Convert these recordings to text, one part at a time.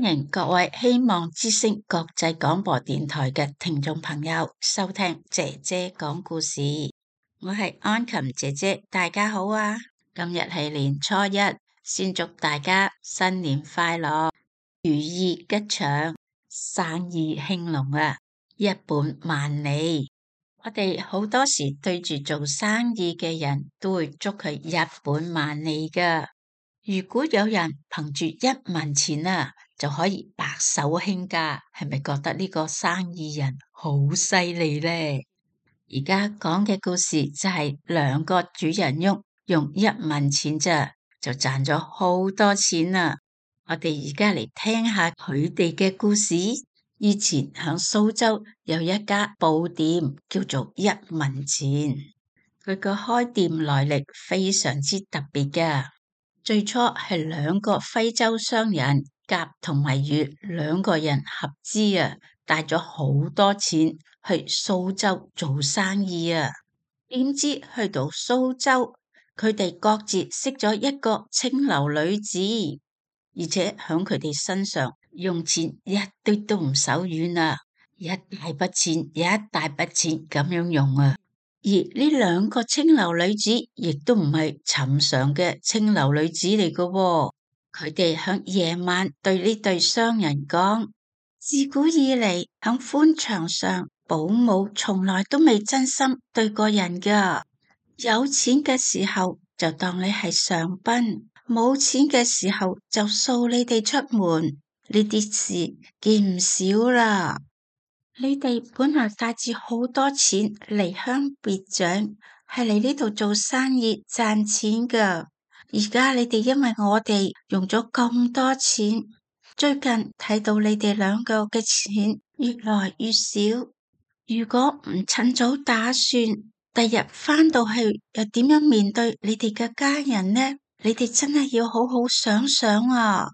歡迎各位希望之聲國際廣播電台嘅聽眾朋友收聽姐姐講故事。我係安琴姐姐，大家好啊！今日係年初一，先祝大家新年快樂，如意吉祥，生意興隆啊，一本萬利。我哋好多時對住做生意嘅人都會祝佢一本萬利㗎。如果有人憑住1文錢就可以白手興家，係咪覺得呢個生意人好犀利呢？而家講嘅故事就係2個主人翁用1文錢咋就賺咗好多錢啦。我哋而家嚟聽下佢哋嘅故事。以前響蘇州有一家布店叫做1文錢，佢個開店來歷非常之特別㗎。最初係2個徽州商人甲同埋乙2個人合資帶咗好多錢去蘇州做生意啊。點知去到蘇州，佢哋各自識咗一個青樓女子，而且響佢哋身上用錢一堆都唔手軟啊，一大筆錢一大筆錢咁樣用啊。而呢2個青樓女子亦都唔係尋常嘅青樓女子嚟嘅喎，佢哋響夜晚對呢對商人講：自古以嚟響官場上，保姆從來都未真心對過人噶。有錢嘅時候就當你係上賓，冇錢嘅時候就掃你哋出門，呢啲事見唔少啦。你哋本來帶住好多錢離鄉別井，係嚟呢度做生意賺錢噶。而家你哋因為我哋用咗咁多錢，最近睇到你哋2個嘅錢越來越少。如果唔趁早打算，第日返到去又點樣面對你哋嘅家人呢？你哋真係要好好想想啊！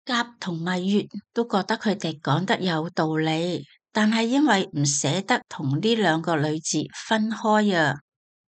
甲同埋乙都覺得佢哋講得有道理。但係因為唔捨得同呢2個女子分開啊，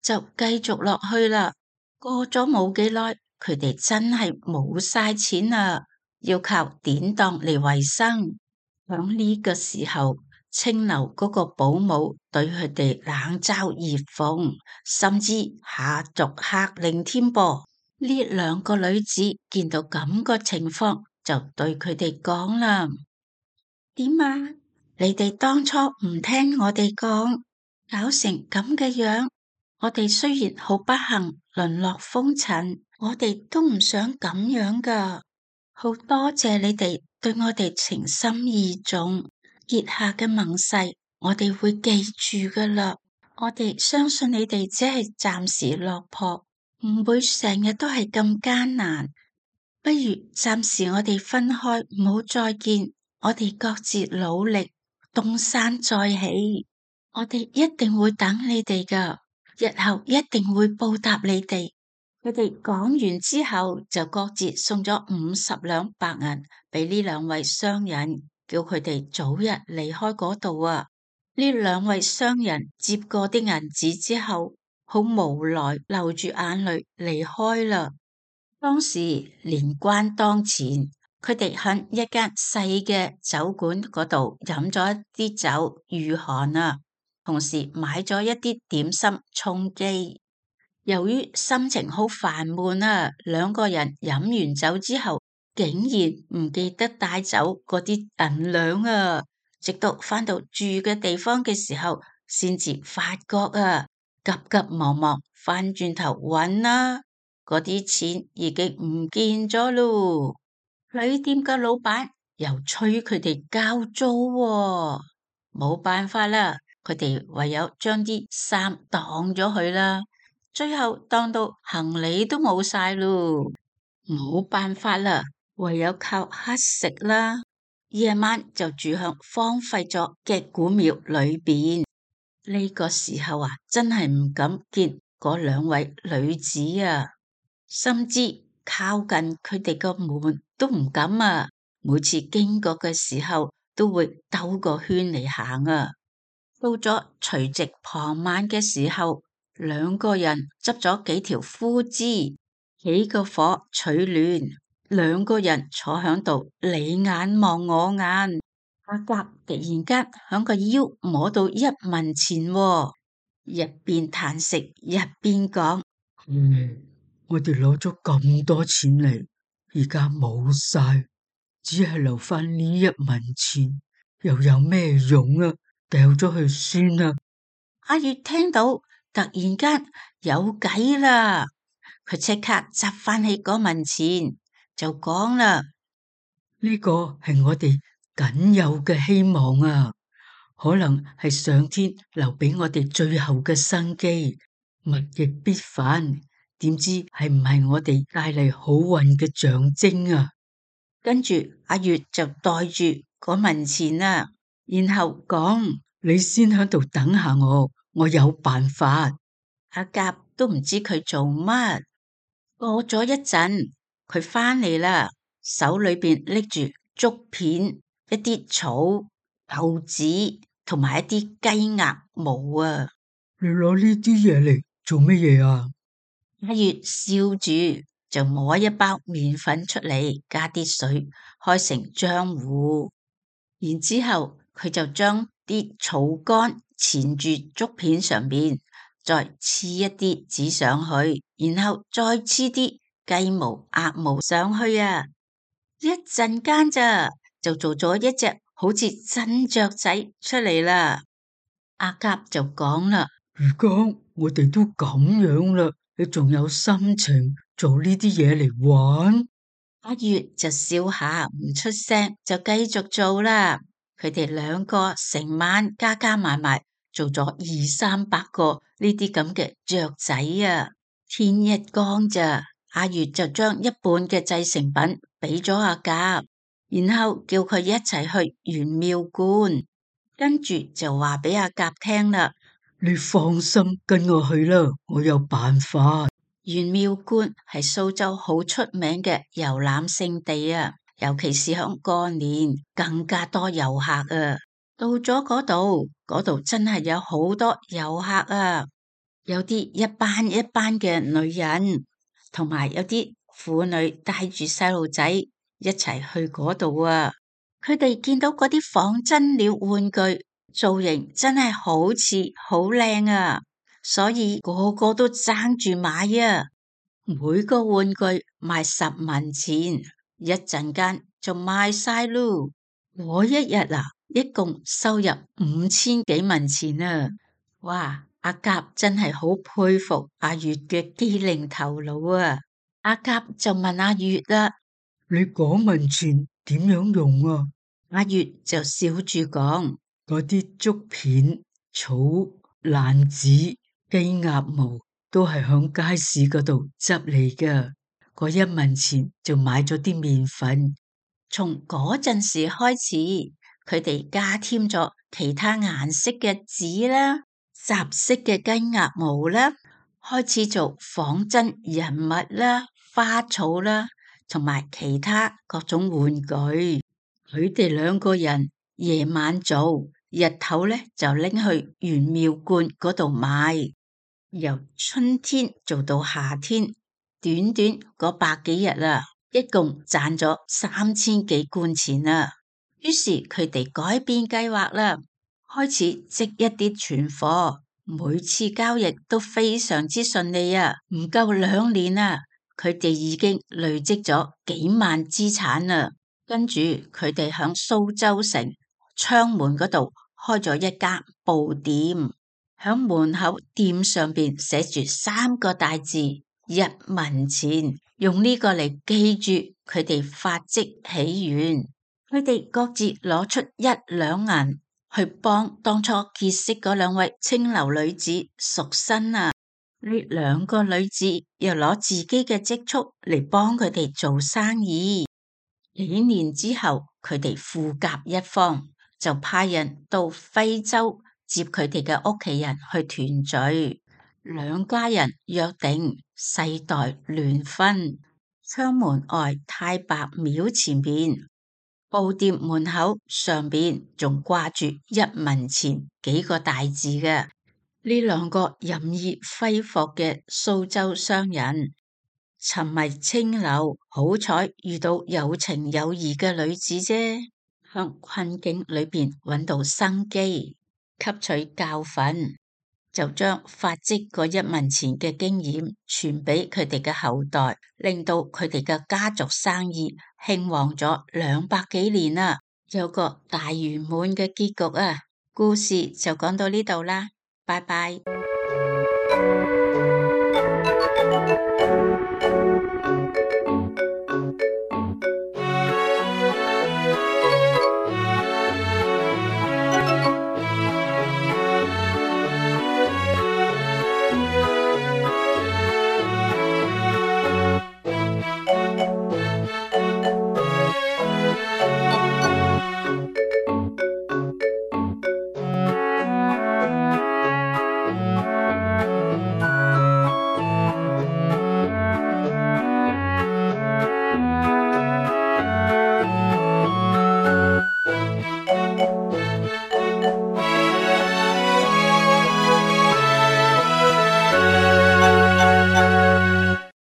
就繼續落去啦。過咗冇幾耐，佢哋真係冇晒錢啦，要靠典當嚟維生。響呢個時候，青樓嗰個保姆對佢哋冷嘲熱諷，甚至下逐客令添噃。呢2個女子見到咁個情況，就對佢哋講啦：點啊？你哋當初唔聽我哋講，搞成咁嘅樣。我哋雖然好不幸淪落風塵，我哋都唔想咁樣噶。好多謝你哋對我哋情深意重，結下嘅盟誓，我哋會記住噶啦。我哋相信你哋只係暫時落魄，唔會成日都係咁艱難。不如暫時我哋分開，唔好再見。我哋各自努力。東山再起，我哋一定會等你哋噶，日後一定會報答你哋。佢哋講完之後，就各自送咗50兩白銀俾呢2位商人，叫佢哋早日離開嗰度啊。呢2位商人接過啲銀紙之後，好無奈，流住眼淚離開啦。當時年關當前。佢哋喺一間細嘅酒館嗰度飲咗一啲酒御寒啊，同時買咗一啲點心充飢。由於心情好煩悶啊，2個人飲完酒之後，竟然唔記得帶走嗰啲銀兩啊！直到返到住嘅地方嘅時候，先至發覺啊，急急忙忙返轉頭揾啦，嗰啲錢已經唔見咗咯。旅店嘅老闆又催佢哋交租喎，冇辦法啦，佢哋唯有將啲衫當咗佢啦。最後當到行李都冇晒咯，冇辦法啦，唯有靠乞食啦。夜晚就住響荒廢咗嘅古廟裏邊。呢個時候真係唔敢見嗰2位女子啊，甚至靠近佢哋個門都唔敢啊！每次經過嘅時候，都會兜個圈嚟行啊。到咗除夕傍晚嘅時候，2個人執咗幾條枯枝，起個火取暖。兩個人坐響度，你眼望我眼。阿甲突然間響個腰摸到一文錢喎，一邊嘆息一邊講：我哋攞咗咁多錢嚟，而家冇晒，只係留翻呢一文錢，又有咩用啊？掉咗去算啦。阿月聽到突然間有計啦，佢即刻執翻起嗰文錢，就講啦：呢個係我哋僅有嘅希望啊，可能係上天留俾我哋最後嘅生機，物極必反，點知係唔係我哋帶嚟好運嘅象徵啊？跟住阿月就袋住嗰文錢啦，然後講：你先喺度等下我有辦法。阿甲都唔知佢做乜。過咗一陣，佢翻嚟啦，手裏邊拎住竹片、一啲草、豆子同埋一啲雞鴨毛啊！你攞呢啲嘢嚟做乜嘢啊？阿月笑住就摸一包麵粉出嚟，加啲水，開成漿糊。然之後佢就將啲草乾纏住竹片上邊，再黐一啲紙上去，然後再黐啲雞毛、鴨毛上去啊！一陣間咋就做咗一隻好似真雀仔出嚟啦！阿甲就講啦：如果我哋都咁樣啦，你仲有心情做呢啲嘢嚟玩？阿月就笑下唔出聲，就繼續做啦。佢哋兩個成晚加加埋埋做咗200-300個呢啲咁嘅雀仔啊！天一光咋，阿月就將一半嘅製成品俾咗阿甲，然後叫佢一齊去玄妙觀，跟住就話俾阿甲聽啦。你放心跟我去啦，我有辦法。玄妙觀係蘇州好出名嘅遊覽勝地啊，尤其是響過年更加多遊客啊。到咗嗰度真係有好多遊客啊，有啲一班一班嘅女人，同埋有啲婦女帶住細路仔一齊去嗰度啊。佢哋見到嗰啲仿真鳥玩具造型真係好似好靚啊，所以個個都爭住買啊。每個玩具賣10文錢，一陣間就賣晒嚕。我一日啊，一共收入5000幾文錢啊！哇，阿甲真係好佩服阿月嘅機靈頭腦啊！阿甲就問阿月啦：你講文錢點樣用啊？阿月就笑住講：嗰啲竹片、草、爛紙、雞鴨毛都係響街市嗰度執嚟㗎。嗰1文錢就買咗啲麵粉。從嗰陣時開始，佢哋加添咗其他顏色嘅紙啦、雜色嘅雞鴨毛啦，開始做仿真人物啦、花草啦，同埋其他各種玩具。佢哋兩個人夜晚做，日頭咧就拎去玄妙觀嗰度賣。由春天做到夏天，短短嗰百幾日啊，一共賺咗3000幾貫錢啦。於是佢哋改變計劃啦，開始積一啲存貨，每次交易都非常之順利啊。唔夠2年啊，佢哋已經累積咗幾萬資產啦。跟住佢哋響蘇州城昌門嗰度開咗一間布店，響門口店上邊寫住3個大字1文錢，用呢個嚟記住佢哋發跡起源。佢哋各自攞出1兩銀去幫當初結識嗰2位青樓女子贖身啊！呢2個女子又攞自己嘅積蓄嚟幫佢哋做生意。幾年之後，佢哋富甲一方，就派人到徽州接佢哋嘅屋企人去團聚。2家人約定世代聯婚。昌門外太白廟前邊，布店門口上邊仲掛住1文錢幾個大字嘅。呢2個任意揮霍嘅蘇州商人，沉迷清流，好彩遇到有情有義嘅女子啫，向困境裏邊揾到生機，吸取教訓，就將發跡嗰1文錢嘅經驗傳俾佢哋嘅後代，令到佢哋嘅家族生意興旺咗200幾年啦，有個大圓滿嘅結局啊！故事就講到呢度啦，拜拜。